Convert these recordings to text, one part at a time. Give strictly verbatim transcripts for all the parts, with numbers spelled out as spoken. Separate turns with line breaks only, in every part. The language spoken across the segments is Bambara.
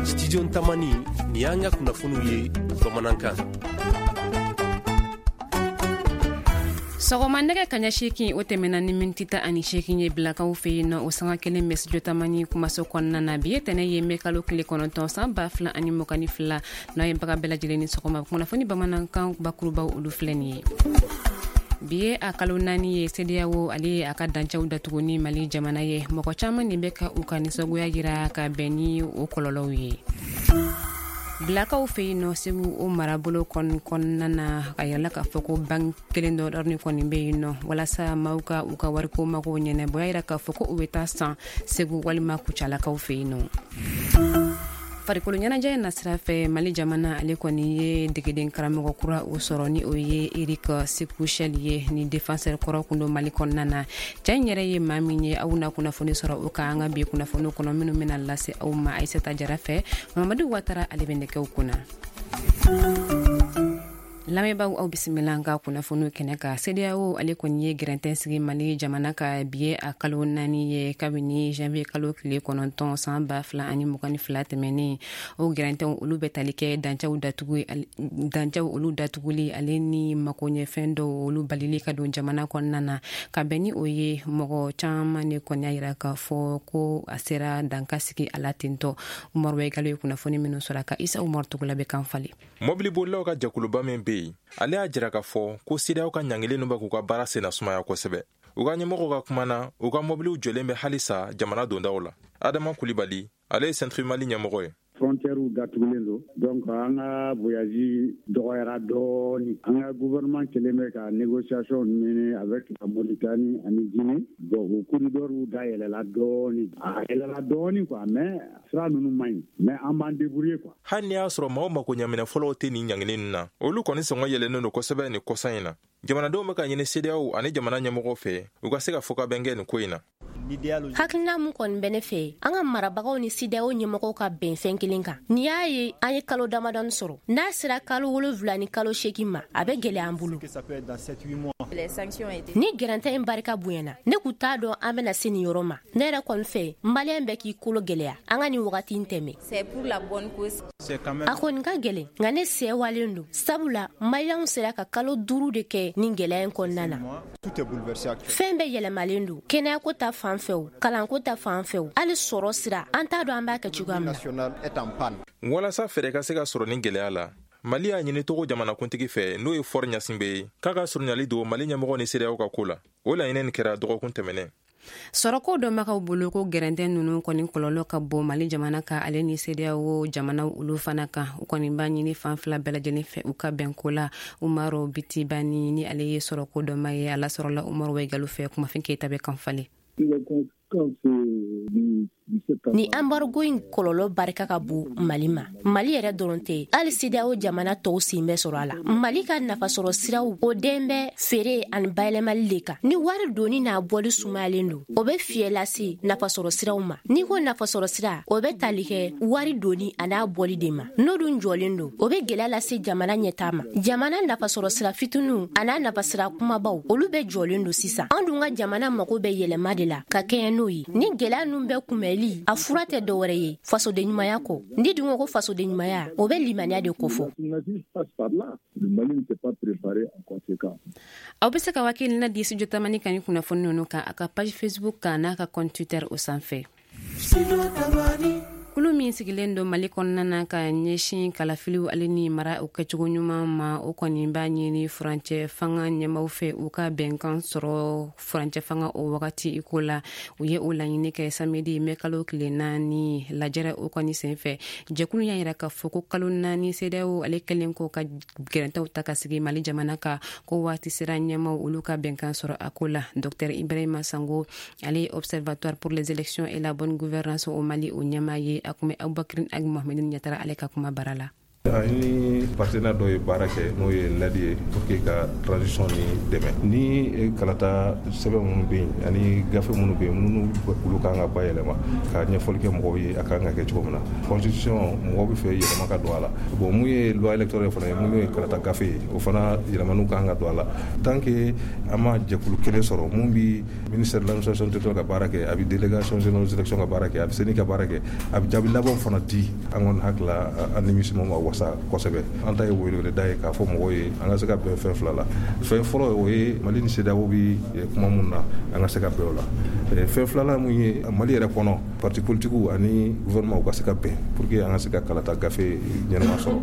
Studio Tamani, ni y'an ka kunnafoniw ye bamanankan.
Sɔgɔma nɛgɛ kaɲɛ seegin o tɛmɛna ni miniti tan ani seegin ye bilakaw fɛ yen nɔ, o sanga kelen bɛ Studio Tamani kumaso kɔnɔna na. Bi ye tɛnɛ ye, mɛ kalo tile kɔnɔntɔn san ba fila ani mugan ni fila. N'a ye baga bɛɛ lajɛlen ni sɔgɔma. Kunnafoni bamanankan bakurubaw, olu filɛ nin ye. Bi ye a kalo naani ye, CEDEAO ale ye a ka dancɛw datugu ni Mali jamana ye. Mɔgɔ caman nin bɛ ka u ka nisɔngoya jira ka bɛn ni o kɔlɔlɔw ye. Bilakaw fɛ yen nɔ, Segu o marabolo kɔnɔna na, a yirala k'a fɔ ko banque kelen dɔ dɔrɔn kɔni bɛ yen nɔ walasa maaw ka u ka wariko magow ɲɛnabɔ. O y'a yira k'a fɔ ko u bɛ taa san Segu walima Kucalakaw fɛ yen nɔ. Farikolo ɲɛnajɛ nasira fɛ, Mali jamana ale kɔni ye degeden karamɔgɔ kura o sɔrɔ, ni o ye Eric Sekou Chelle ye, ni défenseur kɔrɔ kun don Mali kɔnɔna na. Cɛ in yɛrɛ ye maa min ye, aw na kunnafoni sɔrɔ o kan an ka bi kunnafoni kɔnɔ minnu bɛna lase aw ma Aissata Jara fɛ. Mamadu Watara ale bɛ nɛgɛw kunna. Lamɛnbaaw, aw bisimila an ka kunnafoniw kɛnɛ kan. CEDEAO ale kɔni ye gɛrɛntɛn sigi Mali jamana ka. Bi ye a kalo naani ye kabini janvier kalo tile kɔnɔntɔn san ba fila ani mugan ni fila tɛmɛnen. O gɛrɛntɛnw, olu bɛ tali kɛ dancɛw datugu, dancɛw olu datuguli ale ni makoɲɛfɛn dɔw olu balili ka don jamana kɔnɔna na. Ka bɛn ni o ye, mɔgɔ caman de kɔni y'a yira k'a fɔ ko a sera danka sigi a la tentɔ. Umaru Wegalo ye kunnafoni minnu sɔrɔ a ka, Isa Umaru Tugula bɛ kan falen.
Mɔbilibolilaw ka jɛkuluba min be yen, ale y'a jira k'a fɔ ko CEDEAO ka ɲangili bɛ k'u ka baara senna sumaya kosɛbɛ. U ka ɲɛmɔgɔw ka kuma na, u ka mɔbiliw jɔlen bɛ halisa jamana dondaw la. Adama Kulibali, ale ye Centre Mali ɲɛmɔgɔ ye.
Frontière datugulen don, donc an ka voyage dɔgɔyara dɔɔni. An ka gouvernement kelen bɛ ka négociation mener avec la Mauritanie ani Guinée. Bon, o corridor dayɛlɛla dɔɔni, a yɛlɛla dɔɔni quoi, mais sira ninnu man ɲi, mais an b'an débrouiller quoi.
Hali n'i y'a sɔrɔ maaw mako ɲaminɛ fɔlɔw tɛ nin ɲangili ninnu na, olu kɔni sɔngɔ yɛlɛnnen don kosɛbɛ nin kɔsa in na. Jamanadenw bɛ ka ɲini CEDEAO ani jamana ɲɛmɔgɔw fɛ, u ka se ka fɔkabɛn kɛ nin ko in na.
Hakilina mun kɔni bɛ ne fɛ, an ka marabagaw ni CEDEAO ɲɛmɔgɔw ka bɛn fɛn kelen kan. N'i y'a ye an ye kalo damadɔni sɔrɔ, n'a sera kalo wolonwula ni kalo seegin ma, a bɛ gɛlɛya an bolo. Ni gɛrɛntɛ in barika bonyana, ne kun t'a dɔn an bɛna se nin yɔrɔ ma. Ne yɛrɛ kɔni fɛ, maliyɛn bɛɛ k'i kolo gɛlɛya, an ka nin wagati in tɛmɛ. A kɔni ka gɛlɛn, nka ne sɛwalen don, sabula maliyɛnw sera ka kalo duuru de kɛ nin gɛlɛya in kɔnɔna na. Fɛn bɛɛ yɛlɛmalen don, kɛnɛyako ta fan fɛ o, kalanko ta fan fɛ o, hali sɔrɔ sira, an t'a dɔn an b'a kɛ cogoya min
na. Walasa fɛɛrɛ ka se ka sɔrɔ nin gɛlɛya la, Mali y'a ɲini Togo jamanakuntigi fɛ, n'o ye Faure Gnassingbé ye, k'a ka surunyali don Mali ɲɛmɔgɔ ni CEDEAO ka ko la. O laɲini nin kɛra dɔgɔkun tɛmɛnɛ.
Sɔrɔko dɔnbagaw bolo, ko gɛrɛntɛ ninnu kɔni kɔlɔlɔ ka bon Mali jamana kan ale ni CEDEAO jamanaw olu fana kan. U kɔni b'a ɲini fan fila bɛɛ lajɛlen fɛ, u ka bɛnko la. Umaru Bitibani, ni ale ye sɔrɔko dɔnba ye, a lasɔrɔla Umaru Wegalo fɛ. Kumafin Keyita bɛ kan falen.
Ni embargo in kɔlɔlɔ barika ka bon Mali ma. Mali yɛrɛ dɔrɔn tɛ, hali CEDEAO jamana tɔw sen bɛ sɔrɔ a la. Mali ka nafasɔrɔ siraw, o den bɛ feere ani bayɛlɛmali de kan. Ni wari donni n'a bɔli sumayalen don, o bɛ fiɲɛ lase nafasɔrɔ siraw ma. N'i ko nafasɔrɔ sira, o bɛ tali kɛ wari donni an'a bɔli de ma. N'o dun jɔlen don, o bɛ gɛlɛya lase jamana ɲɛtaa ma. Jamana nafasɔrɔ sira fitininw an'a nafasira kumabaw, olu bɛɛ jɔlen don sisan. An dun ka jamana mago bɛ yɛlɛma de la ka kɛɲɛ n'o ye. Ni gɛlɛya ninnu bɛɛ kunbɛli, a fura tɛ dɔwɛrɛ ye fasoden ɲumanya kɔ. Ni dun ko ko fasoden ɲumanya, o bɛ limaniya de kofɔ.
Aw bɛ se ka hakilina di Studio Tamani kan ni kunnafoni ninnu kan a ka page Facebook kan n'a ka compte Twitter o sanfɛ. Kulu min sigilen don Mali kɔnɔna na ka ɲɛsin kalafiliw ale ni mara o kɛcogo ɲuman ma, o kɔni b'a ɲini furancɛ fanga ɲɛmaw fɛ, u ka bɛnkan sɔrɔ furancɛ fanga o wagati i ko la. U ye o laɲini kɛ samedi mɛ kalo tile naani lajɛrɛ o kɔni senfɛ. Jɛkulu y'a yira k'a fɔ ko kalo naani CEDEAO ale kɛlen ko ka gɛrɛntɛw ta ka sigi Mali jamana kan, ko waati sera ɲɛmaw olu ka bɛnkan sɔrɔ a ko la. Docteur Ibrahima Sango, ale ye Observatoire pour les élections et la bonne gouvernance au Mali o ɲɛmaa ye, a kun bɛ Abubakar Ag Mohamed Ɲatara ale ka kuma bara la.
An ni partenaire dɔ ye baara kɛ, n'o ye N E D ye, pour que ka transition ni dɛmɛ. Ni kalata sɛbɛn minnu bɛ yen ani gafe minnu bɛ yen, minnu olu kan ka bayɛlɛma ka ɲɛfɔli kɛ mɔgɔw ye a kan ka kɛ cogo min na. Constitution, mɔgɔw bɛ fɛ yɛlɛma ka don a la. Bon, mun ye loi électorale fana ye, mun ye kalata gafe ye, o fana yɛlɛmaniw kan ka don a la. Tant que an ma jɛkulu kelen sɔrɔ mun bi ministère de l'administration territoriale ka baara kɛ, a bɛ délégation générale aux élections ka baara kɛ, a bɛ CENI ka baara kɛ, a bɛ jaabi labanw fana di, an kɔni hakili la, an nimisi ma wasa kosɛbɛ. An ta ye weleweleda ye k'a fɔ mɔgɔw ye an ka se ka bɛn fɛn fila la. Fɛn fɔlɔ, o ye Mali ni CEDEAO bi kuma mun na, an ka se ka bɛn o la. Fɛn filanan mun ye, Mali yɛrɛ kɔnɔ, parti politiques ani gouvernement, u ka se ka bɛn pour que an ka se ka kalata gafe ɲɛnama sɔrɔ.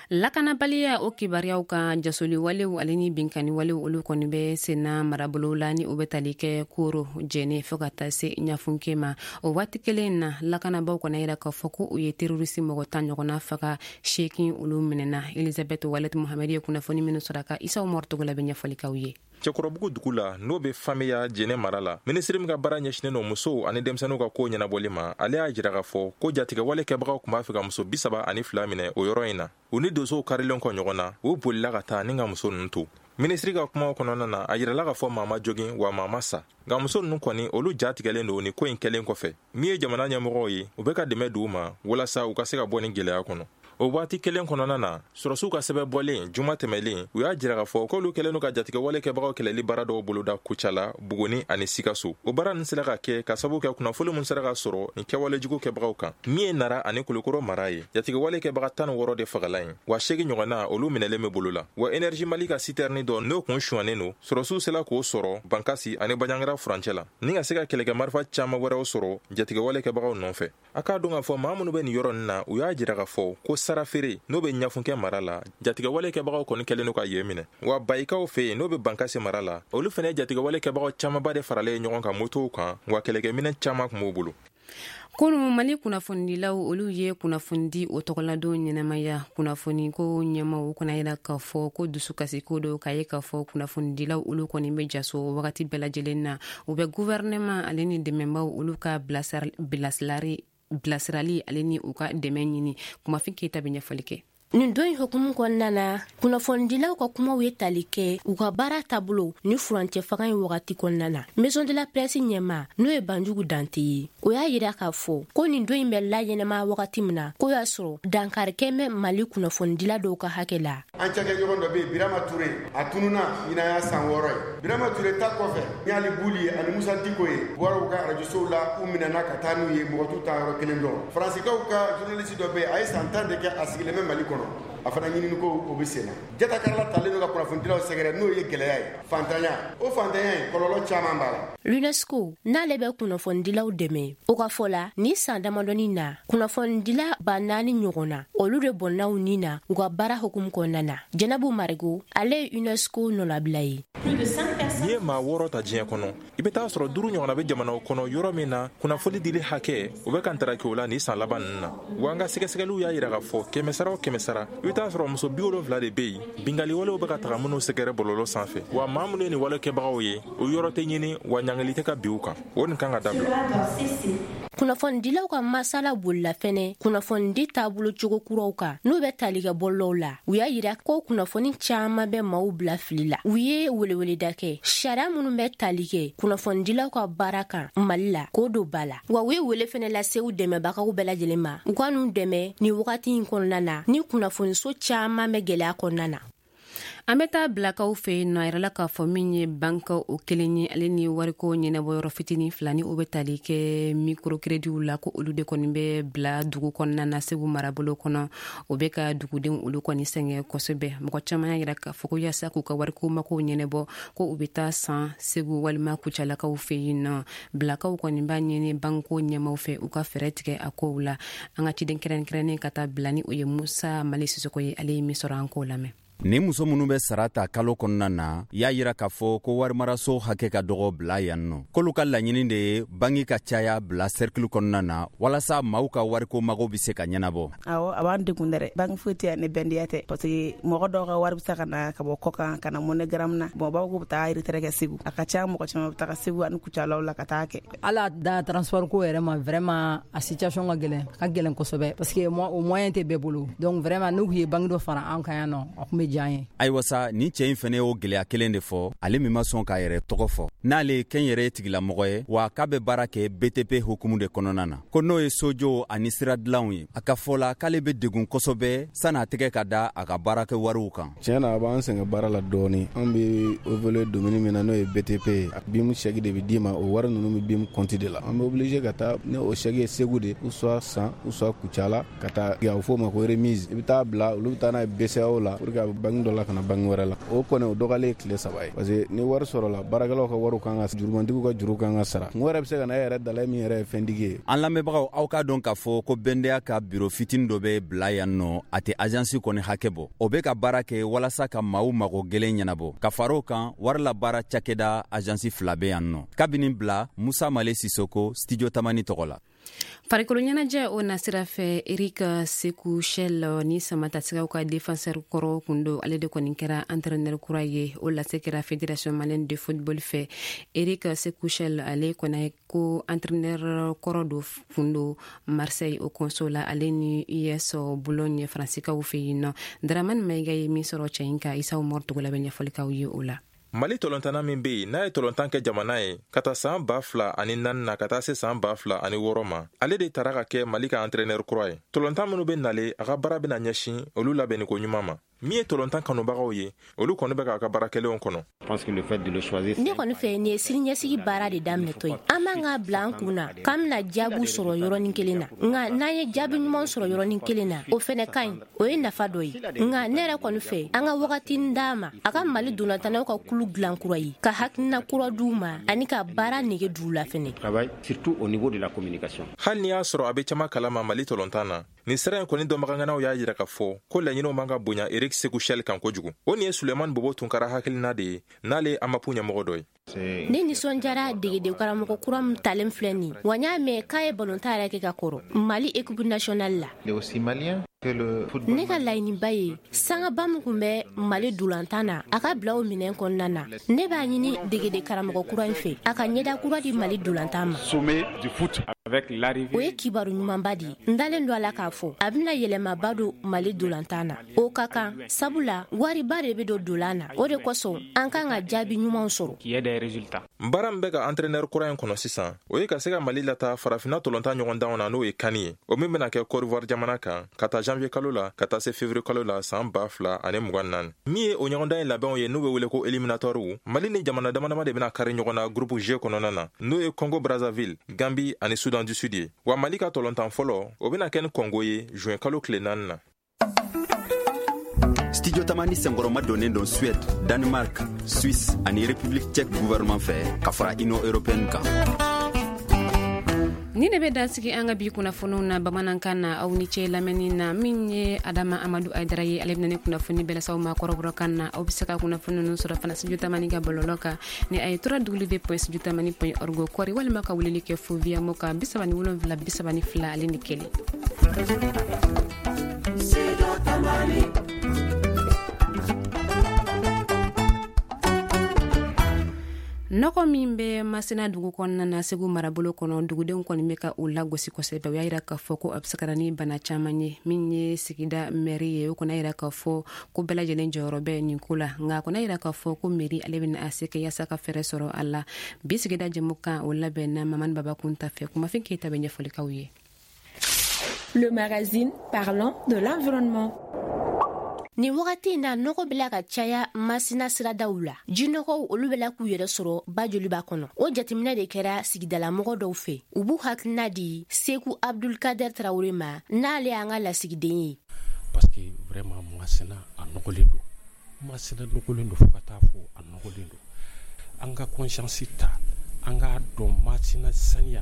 Lakanabaliya o kibaruyaw kan, jasoli walew ale ni binkani walew, olu kɔni bɛ senna marabolo la ni o bɛ tali kɛ Koro, Jɛnɛ, fo ka taa se Ɲafunke ma. O waati kelen na, lakanabaw kɔni yira k'a fɔ ko u ye terroriste mɔgɔ tan ɲɔgɔnna faga, seegin olu minɛna. Elizabeth Walet Muhamɛdi ye kunnafoni minnu sɔrɔ a ka, Isa Umaru Togola bɛ ɲɛfɔli k'aw ye.
Cɛkɔrɔbugu dugu la, n'o bɛ Famiya, Jɛnɛ mara la, minisiri min ka baara ɲɛsinnen don musow ani denmisɛnninw ka ko ɲɛnabɔli ma, ale y'a jira k'a fɔ ko jatigɛwale kɛbagaw tun b'a fɛ ka muso bi saba ani fila minɛ o yɔrɔ in na. U ni donsow karilen kɔ ɲɔgɔn na, u bolila ka taa ni ka muso ninnu to. Minisiri ka kumaw kɔnɔna na, a yirala k'a fɔ maa ma jogin, wa maa ma sa, nka muso ninnu kɔni, olu ja tigɛlen don ni ko in kɛlen kɔfɛ. Min ye jamana ɲɛmɔgɔw ye, u bɛ ka dɛmɛ d'u ma walasa u ka se ka bɔ ni gɛlɛya kɔnɔ. O waati kelen kɔnɔna na, sɔrɔsiw ka sɛbɛn bɔlen juma tɛmɛlen, u y'a jira k'a fɔ k'olu kɛlen don ka jatigɛwale kɛbagaw kɛlɛli baara dɔw boloda Kucala, Buguni ani Sikaso. O baara ninnu sera ka kɛ ka sababu kɛ kunnafoni min sera ka sɔrɔ nin kɛwale jugu kɛbagaw kan. Min ye Nara ani Kulukoro mara ye, jatigɛwale kɛbaga tan ni wɔɔrɔ de fagala yen, wa seegin ɲɔgɔnna, olu minɛlen bɛ bolo la. Wa Énergie Mali ka citerne dɔ, n'o kun suwannen don, sɔrɔsiw sera k'o sɔrɔ Bankasi ani Baɲangara furancɛ la, ni ka se ka kɛlɛkɛ marifa caman wɛrɛw sɔrɔ jatigɛwale kɛbagaw nɔfɛ. A k'a dɔn k'a fɔ maa minnu bɛ nin yɔrɔ nin na, u y'a jira k'a fɔ ko sara feere, n'o bɛ Ɲafunkɛ mara la, jatigɛwale kɛbagaw kɔni kɛlen don ka yen minɛ. Wa Bayikaw fɛ yen, n'o bɛ Bankasi mara la, olu fana ye jatigɛwale kɛbagaw camanba de faralen ɲɔgɔn kan motow kan, wa kɛlɛkɛminɛn caman tun b'u bolo.
Kunu, Mali kunnafonidilaw olu ye kunnafonidi o tɔgɔladon ɲɛnamaya. Kunnafoni ko ɲɛmaw kana yira k'a fɔ ko dusukasiko do k'a ye k'a fɔ kunnafonidilaw olu kɔni bɛ jaso wagati bɛɛ lajɛlen na. U bɛ gouvernement ale ni dɛmɛbaw olu ka bilasirali bilasirali ale ni u ka dɛmɛ ɲini. Kumafin Keyita bɛ ɲɛfɔli kɛ.
Nin don in hukumu kɔnɔna na, kunnafonidilaw ka kumaw ye tali kɛ u ka baara taabolo ni furancɛ fanga in wagati kɔnɔna na. Maison de la presse ɲɛma, n'o ye Banjugu Dante ye, o y'a yira k'a fɔ ko nin don in bɛ laɲɛnama wagati min na, k'o y'a sɔrɔ dankarikɛ bɛ Mali kunnafonidila dɔw ka hakɛ la.
An cakɛɲɔgɔn dɔ bɛ yen, Birama Ture, a tununna ɲinan y'a san wɔɔrɔ ye. Birama Ture ta kɔfɛ, Ɲali Buli ye ani Musa Diko ye, bɔra u ka arajosow la, u minɛna ka taa n'u ye, mɔgɔ t'u ta yɔrɔ kelen dɔn. Faransikaw ka journaliste dɔ bɛ yen, a ye san tan de kɛ a sigilen bɛ Mali kɔnɔ, a fana ɲinini ko o bɛ sen na. Jatakarala talen don ka kunnafonidilaw sɛgɛrɛ, n'o ye gɛlɛya ye, fantanya, o fantanya in kɔlɔlɔ caman b'a la.
L'UNESCO n'ale bɛ kunnafonidilaw dɛmɛ, o ka fɔ la, ni san damadɔni na, kunnafonidila ba naani ɲɔgɔn na, olu de bɔnna u ni na u ka baara hukumu kɔnɔna na. Jɛnɛbu Marigo, ale ye UNESCO nɔlabila ye.
N'i ye maa wɔɔrɔ ta diɲɛ kɔnɔ, i bɛ taa sɔrɔ duuru ɲɔgɔnna bɛ jamanaw kɔnɔ yɔrɔ min na kunnafoni dili hakɛ o bɛ ka ntaraki o la nin san laban ninnu na. Wa an ka sɛgɛsɛgɛliw y'a jira k'a fɔ kɛmɛ sara o kɛmɛ sara, i bɛ taa sɔrɔ muso bi wolonfila de bɛ yen, binkanni walew bɛ ka taga minnu sɛgɛrɛ bɔlɔlɔ sanfɛ. Wa maa minnu ye nin wale kɛbagaw ye, o yɔrɔ tɛ ɲini, wa ɲangili tɛ ka bin u kan. O nin kan ka dabila.
Kunnafonidilaw ka masala bolila fɛnɛ kunnafonidi taabolo cogo kuraw kan, n'u bɛ tali kɛ bɔlɔlɔw la. U y'a yira ko kunnafoni caman bɛ maaw bila fili la. U ye weleweleda kɛ sariya minnu bɛ tali kɛ kunnafonidilaw ka baara kan Mali la, k'o don ba la. Wa u ye wele fɛnɛ lase u dɛmɛbagaw bɛɛ lajɛlen ma, u ka n'u dɛmɛ nin wagati in kɔnɔna na ni kunnafoniso caman bɛ gɛlɛya kɔnɔna na.
An bɛ taa Bilakaw fɛ yen nɔ. A yirala k'a fɔ min ye banque o kelen ye, ale ni wariko ɲɛnabɔyɔrɔ fitinin fila ni o bɛ tali kɛ microcréditw la, ko olu de kɔni bɛ bila dugu kɔnɔna na, Segu marabolo kɔnɔ. O bɛ ka dugudenw olu kɔni sɛgɛn kosɛbɛ. Mɔgɔ caman y'a yira k'a fɔ ko yaasa k'u ka wariko makow ɲɛnabɔ, ko u bɛ taa san Segu walima Kucalakaw fɛ yen nɔ. Bilakaw kɔni b'a ɲini banque ɲɛmaw fɛ, u ka fɛɛrɛ tigɛ a kow la. An ka ciden kɛrɛnkɛrɛnnen ka taa bila ni o ye Musa Mali Sisoko ye, ale ye min sɔrɔ, an k'o lamɛn.
Ni muso minnu bɛ sara ta kalo kɔnɔna na, y'a yira k'a fɔ ko warimaraso hakɛ ka dɔgɔ bila yan nɔ. K'olu ka laɲini de ye banki ka caya bila cercle kɔnɔna na walasa maaw ka wariko mago bɛ se ka ɲɛnabɔ.
Awɔ, a b'an degun dɛrɛ. Banki foyi tɛ yan ni bɛndiya tɛ, parce que mɔgɔ dɔw ka wari bɛ se ka na ka bɔ kɔkan ka na MoneyGram na. Bon, baw ko bɛ taa retrait kɛ Segu. A ka ca, mɔgɔ caman bɛ taga Segu ani Kucalaw la ka taa kɛ.
Ala da transport ko yɛrɛ ma, vraiment a situation ka gɛlɛn, ka gɛlɛn kosɛbɛ, parce que o moyen tɛ bɛɛ bolo. Donc vraiment n'u ye banque dɔ fara an kan yan nɔ, a kun bɛ diya an ye.
Ayiwa sa, nin cɛ in fɛnɛ y'o gɛlɛya kelen de fɔ, ale min ma sɔn k'a yɛrɛ tɔgɔ fɔ. N'ale ye kɛnyɛrɛye tigilamɔgɔ ye, wa k'a bɛ baara kɛ B T P hukumu de kɔnɔna na, ko n'o ye sojo ani sira dilanw ye. A ka fɔ la k'ale bɛ degun kosɛbɛ san'a tɛgɛ ka da a ka baarakɛ wariw kan.
Tiɲɛ na, a b'an sɛgɛn baara la dɔɔni. An bɛ évoluer domaine min na, n'o ye B T P ye, B I M chèque de bɛ d'i ma, o wari ninnu bɛ B I M compte de la. An bɛ obligé ka taa ni o chèque ye Segu de, ou soit San, ou soit Kucala, ka taa a bɛ f'o ma ko remise. I bɛ taa bila, olu bɛ taa n'a ye B C A O la pour que a bɛ banque dɔ la ka na banque wɛrɛ la. O kɔni o dɔgɔyalen ye tile saba ye, parce que ni wari sɔrɔla, baarakɛlaw ka wariw kan ka, jurumantigiw ka juru kan ka sara. Mɔgɔ yɛrɛ bɛ se ka na e yɛrɛ dala min yɛrɛ ye fɛntigi ye.
An lamɛnbagaw, aw k'a dɔn k'a fɔ ko bɛndɛya ka biro fitinin dɔ bɛ bila yan nɔ, a tɛ agence kɔni hakɛ bɔ. O bɛ ka baara kɛ walasa ka maaw mago gɛlɛn ɲɛnabɔ. Ka fara o kan, wari la baara cakɛda agence fila bɛ yan nɔ. Kabini bila, Musa Male Sisoko, Studio Tamani tɔgɔ la.
Farikolo ɲɛnajɛ o nasira fɛ, Eric Sekou Chelle ni Samatasɛgɛw ka défenseur kɔrɔ kun don, ale de kɔni kɛra entraîneur kura ye. O lase kɛra Fédération malienne de football fɛ. Eric Sekou Chelle, ale kɔni ko entraîneur kɔrɔ do kun don Marseille o kɔnso la, ale ni U S Boulogne Faransikaw fɛ yen nɔ. Dramane Mayiga ye min sɔrɔ cɛ in kan, Isa Umaru Togola bɛ ɲɛfɔli k'aw ye o la.
Mali tɔlɔntanna min bɛ yen n'a ye tɔlɔntan kɛ jamana ye ka taa san ba fila ani naani na ka taa se san ba fila ani wɔɔrɔ ma, ale de tara ka kɛ Mali ka entraîneur kura ye. Tɔlɔntan minnu bɛ nale, a ka baara bɛna ɲɛsin olu labɛnniko ɲuman ma. Min ye tɔlɔntan kanubagaw ye, olu kɔni bɛ k'a ka baara kɛlenw kɔnɔ.
Ne kɔni fɛ, nin ye siniɲɛsigi baara de daminɛtɔ ye. An b'an ka bila an kun na k'an bɛna jaabiw sɔrɔ yɔrɔnin kelen na, nka n'an ye jaabi ɲuman sɔrɔ yɔrɔnin kelen na, o fɛnɛ ka ɲi, o ye nafa dɔ ye. Nka ne yɛrɛ kɔni fɛ, an ka wagatinin d'a ma, a ka Mali dolantannaw ka kulu dilan kura ye, ka hakilina kura d'u ma ani ka baara nege d'u la fɛnɛ.
Hali n'i y'a sɔrɔ a bɛ caman kalama Mali tɔlɔntan na, nin sira in kɔni dɔnbagaŋanaw y'a yira k'a fɔ ko laɲiniw man ka bonya Eric Sekou Chelle kan kojugu. O nin ye Sulemani Bobo Tunkara hakilina de ye, n'ale ye AMAPU ɲɛmɔgɔ dɔ ye.
Ne nisɔndiyara degeden karamɔgɔ kura min talen filɛ nin, wa n y'a mɛn k'a ye balontan yɛrɛ kɛ ka kɔrɔ Mali équipe nationale la. Ne ka laɲiniba ye sangaba min kun bɛ Mali dolantan na, a ka bila o minɛn kɔnɔna na. Ne b'a ɲini degeden karamɔgɔ kura in fɛ, a ka ɲɛda kura di Mali dolantan ma. O ye kibaru ɲumanba de ye. N dalen don a la k'a fɔ a bɛna yɛlɛmaba don Mali dolantan na. O ka kan, sabula wariba de bɛ don dolan na. O de kosɔn an kan ka jaabi ɲumanw sɔrɔ.
Baara min bɛ ka entraîneur kura in kɔnɔ sisan, o ye ka se ka Mali lataa farafinna tɔlɔntan ɲɔgɔndanw na, n'o ye CAN ye, o min bɛna kɛ Côte d'Ivoire jamana kan ka taa janvier kalo la ka taa se février kalo la san ba fila ani mugan naani. Min ye o ɲɔgɔndan in labɛnw ye, n'u bɛ wele ko éliminatoire, Mali ni jamana dama dama de bɛna kari ɲɔgɔn na groupe G kɔnɔna na, n'o ye Congo Brazzaville, Gambie ani Soudan du Sud ye. Wa Mali ka tɔlɔntan fɔlɔ, o bɛna kɛ ni Congo ye juin kalo tile naani na.
Studio Tamani senkɔrɔma donnen don Suède, Danemark, Suisse ani République tchèque gouvernement fɛ ka fara Union européenne kan.
Ni ne bɛ dansigi an ka bi kunnafoniw na bamanankan na. Aw ni ce lamɛnni na. Min ye Adama Amadu Aydara ye, ale bɛna ne kunnafoni bɛɛ lase aw ma kɔrɔbɔrɔkan na. Aw bɛ se ka kunnafoni ninnu sɔrɔ fana Studio Tamani ka bɔlɔlɔ kan ni a ye trois w point studio tamani point org kɔri, walima ka weleli kɛ fo via mo kan bi saba ni wolonwula bi saba ni fila ale ni kelen. Nɔgɔ min bɛ Masina dugu kɔnɔna na Segu marabolo kɔnɔ, dugudenw kɔni bɛ ka u lagosi kosɛbɛ. U y'a yira k'a fɔ ko a bɛ se ka na ni bana caman ye. Min ye sigida mɛri ye, o kɔni y'a yira k'a fɔ ko bɛɛ lajɛlen jɔyɔrɔ bɛ nin ko la, nka a kɔni y'a yira k'a fɔ ko mɛri ale bɛna a se kɛ yaasa ka fɛɛrɛ sɔrɔ a la. Bi sigida jɛmukan o labɛnna Mamani Baba Kunta fɛ. Kumafin Keyita bɛ ɲɛfɔli k'aw ye.
Le magazine parlant de l'environnement.
Nin wagati in na, nɔgɔ bɛla ka caya Masina siradaw la. Jinɔgɔw olu bɛla k'u yɛrɛ sɔrɔ ba joliba kɔnɔ. O jateminɛ de kɛra sigidalamɔgɔ dɔw fɛ. U b'u hakilina di Seku Abdulkader Tarawele ma, n'ale y'an ka lasigiden ye.
Parce que vraiment Masina a nɔgɔlen don. Masina nɔgɔlen don fo ka taa fɔ a nɔgɔlen don. An ka conscience ta, an k'a dɔn Masina saniya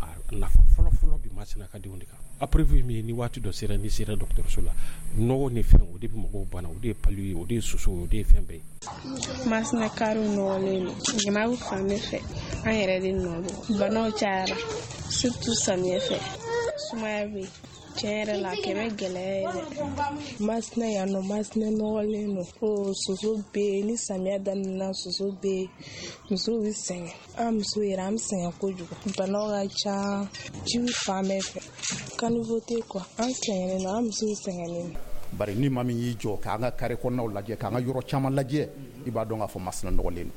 a a nafa fɔlɔ-fɔlɔ bi Masina ka denw de kan. A preuve ye min ye, ni waati dɔ sera, n'i sera dɔgɔtɔrɔso la, nɔgɔ ni fɛn o de bɛ mɔgɔw bana, o de ye palu ye, o de ye soso ye, o de ye fɛn bɛɛ ye.
Masina kariw nɔgɔlen don, ɲama bɛ fan bɛɛ fɛ, an yɛrɛ de nɔ don. Banaw cayara, surtout samiyɛ fɛ, sumaya bɛ yen. Tiɲɛ yɛrɛ la, a kɛ bɛ gɛlɛya ye dɛ.
Masina yan nɔ, Masina nɔgɔlen don. O soso bɛ yen, ni samiya daminɛna soso bɛ yen, musow bɛ sɛgɛn. An muso yɛrɛ an bɛ sɛgɛn kojugu. Banaw ka ca, jiw fan bɛɛ fɛ. Caniveau tɛ quoi, an sɛgɛnnen don, an musow sɛgɛnnen don.
Bari ni maa min y'i jɔ k'an ka carré kɔnɔnaw lajɛ, k'an ka yɔrɔ caman lajɛ, i b'a dɔn k'a fɔ Masina nɔgɔlen don.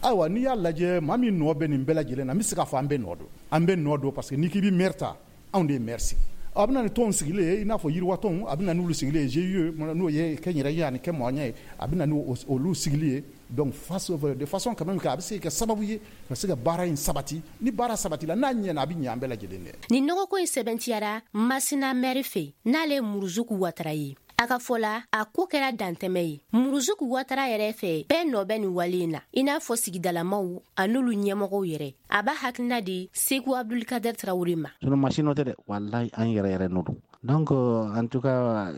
Ayiwa, n'i y'a lajɛ, maa min nɔ bɛ nin bɛɛ lajɛlen na, n bɛ se k'a fɔ an bɛɛ nɔ don. An bɛɛ nɔ don parce que n'i k'i bɛ maire ta, anw de ye maire sigi. A bɛ na ni tɔnw sigilen ye, i n'a fɔ yiriwatɔnw, a bɛ na n'olu sigilen ye, G I E n'o ye kɛnyɛrɛye ani kɛmɔgɔnya ye, a bɛ na n'olu sigili ye. Donc face de façon quand même a bɛ se ka kɛ sababu ye ka se ka baara in sabati. Ni baara sabatila, n'a ɲɛna, a bɛ ɲɛ an bɛɛ lajɛlen dɛ.
Nin nɔgɔko in sɛbɛntiyara Masina mɛri fɛ, n'ale ye Muruzuku Watara ye. A ka fɔ la, a ko kɛra dantɛmɛ ye. Muruzuku Watara yɛrɛ fɛ, bɛɛ nɔ bɛ nin wale in na, i n'a fɔ sigidalamaw an'olu ɲɛmɔgɔw yɛrɛ. A b'a hakilina di Seku Abdulkader Tarawele ma.
Sinon machine tɛ dɛ, walahi an yɛrɛ yɛrɛ nɔ don. Donc en tout cas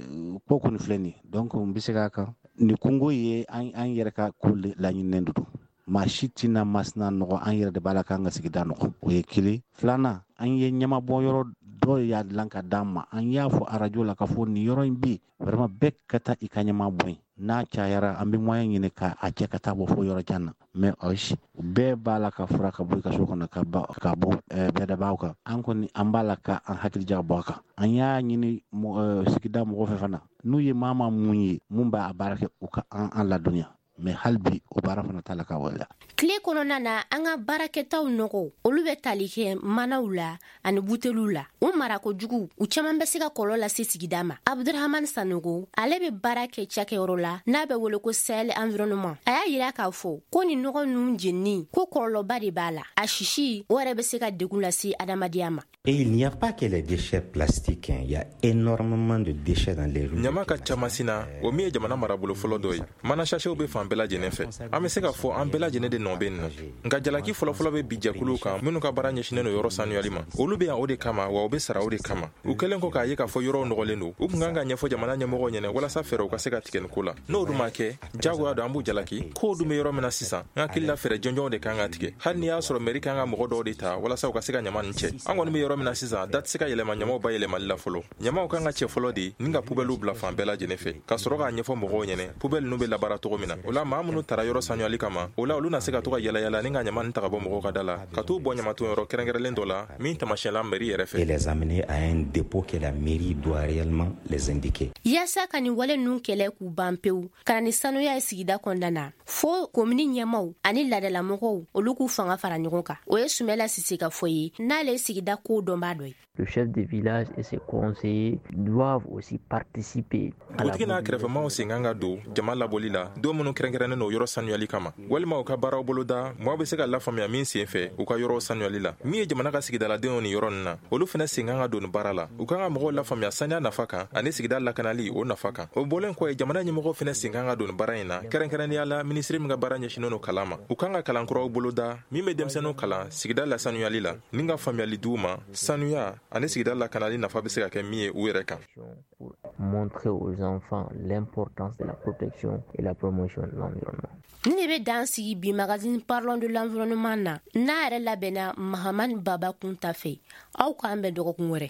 ko kɔni filɛ nin ye, donc n bɛ se k'a kan nin kungo ye, an an yɛrɛ ka ko laɲininen don. Maa si tɛna Masina nɔgɔ, an yɛrɛ de b'a la k'an ka sigida nɔgɔ. O ye kelen. Filanan, an ye ɲɛmabɔ yɔrɔ dɔw y'a dilan ka d'an ma, an y'a fɔ arajo la k'a fɔ nin yɔrɔ in bɛ yen, vraiment bɛɛ ka taa i ka ɲɛma bɔ yen. N'a cayara, an bɛ moyen ɲini ka a cɛ ka taa bɔ fo yɔrɔ jan na, mais ayi, bɛɛ b'a la ka fura ka bɔ i ka so kɔnɔ ka ka bɔ bɛɛdabaw kan. An kɔni an b'a la ka an hakili jagabɔ a kan. An y'a ɲini sigida mɔgɔ fɛ fana, n'u ye maa maa mun ye mun b'a baara kɛ, u ka an an ladɔnniya, mais hali bi o baara fana t'a la ka waleya.
Tile kɔnɔna na, an ka baarakɛtaw nɔgɔ, olu bɛ tali kɛ manaw la ani buteliw la. U marako jugu, u caman bɛ se ka kɔlɔlɔ lase sigida ma. Abdurahman Sanogo, ale bɛ baara kɛ cakɛyɔrɔ la n'a bɛ wele ko Sahel Environnement. A y'a yira k'a fɔ ko nin nɔgɔ ninnu jenini, ko kɔlɔlɔba de b'a la. A sisi o yɛrɛ bɛ se ka degun lase adamadenya ma.
Et il n'y a pas que les déchets plastiques, hein. Il y a énormément de déchets dans les rues.
Ɲama ka ca Masina, o min ye jamana marabolo fɔlɔ dɔ ye. Mana sachetw bɛ fan bɛɛ lajɛlen fɛ. An bɛ se k'a fɔ an bɛɛ lajɛlen de nɔ bɛ nin na. Nka jalaki fɔlɔfɔlɔ bɛ bi jɛkuluw kan minnu ka baara ɲɛsinnen don yɔrɔ sanuyali ma. Olu bɛ yan o de kama, wa u bɛ sara o de kama. U kɛlen kɔ k'a ye k'a fɔ yɔrɔw nɔgɔlen don, u tun kan ka ɲɛfɔ jamana ɲɛmɔgɔw ɲɛna walasa fɛɛrɛw ka se ka tigɛ nin ko la. N'o dun ma kɛ, jagoya don an b'u jalaki. Kow dun bɛ yɔrɔ min na sisan, n hakili la fɛɛrɛ jɔnjɔnw de kan ka tigɛ. Hali n'i y'a sɔrɔ mairie kan ka mɔgɔ dɔw de ta walasa u ka se ka ɲama nin cɛ. An kɔni bɛ yɔrɔ min na sisan, da tɛ se ka yɛlɛma ɲamaw bayɛlɛmali la fɔlɔ. Ɲamaw kan ka cɛ fɔlɔ de ni ka poubellew bila fan bɛɛ lajɛlen fɛ, ka sɔrɔ k'a ɲɛfɔ mɔgɔw ɲɛna poubelle ninnu bɛ labaara cogo min na. O la maa minnu tara yɔrɔ sanuyali kama, o la olu na se ka to ka yala yala ni ka ɲama nin ta ka bɔ mɔgɔw ka da la, ka t'u bɔ ɲamatonyɔrɔ kɛrɛnkɛrɛnlen dɔ la min tamasiyɛnla mairie yɛrɛ fɛ.
Et les amener à un dépôt que la mairie doit réellement les indiquer.
Yaasa ka nin wale ninnu kɛlɛ k'u ban pewu, ka na ni sanuya ye sigida kɔnɔna na, fo komini ɲɛmaw ani laadalamɔgɔw olu k'u fanga fara ɲɔgɔn kan. O ye Sumɛla Sise ka fɔ ye, n'ale ye sigida ko dɔnbaa dɔ ye.
Le chef de village et ses conseillers doivent aussi participer.
Dugutigi n'a kɛrɛfɛmaw sen kan ka don jama labɔli la don minnu kɛrɛnkɛrɛnnen don yɔrɔ sanuyali kama, walima u ka baaraw boloda mɔgɔ bɛ se ka lafaamuya min sen fɛ u ka yɔrɔw sanuyali la. Min ye jamana ka sigidaladenw ni yɔrɔ ninnu na, olu fana sen kan ka don nin baara la. U kan ka mɔgɔw lafaamuya saniya nafa kan ani sigida lakanali o nafa kan. O bɔlen kɔ ye, jamana ɲɛmɔgɔw fana sen kan ka don nin baara in na, kɛrɛnkɛrɛnnenya la minisiri min ka baara ɲɛsinnen don kalan ma. U kan ka kalan kuraw boloda min bɛ denmisɛnninw kalan sigida lasanuyali la ni ka faamuyali d'u ma sanuya ani sigida lakanali nafa bɛ se ka kɛ min ye u yɛrɛ kan.
Montrer aux enfants l'importance de la protection et la promotion de l'environnement.
Ni de bɛ dan sigi bi magazine Parlons de l'environnement na, n'a yɛrɛ labɛnna Mahamani Baba Kunta fɛ. Aw k'an bɛn dɔgɔkun wɛrɛ.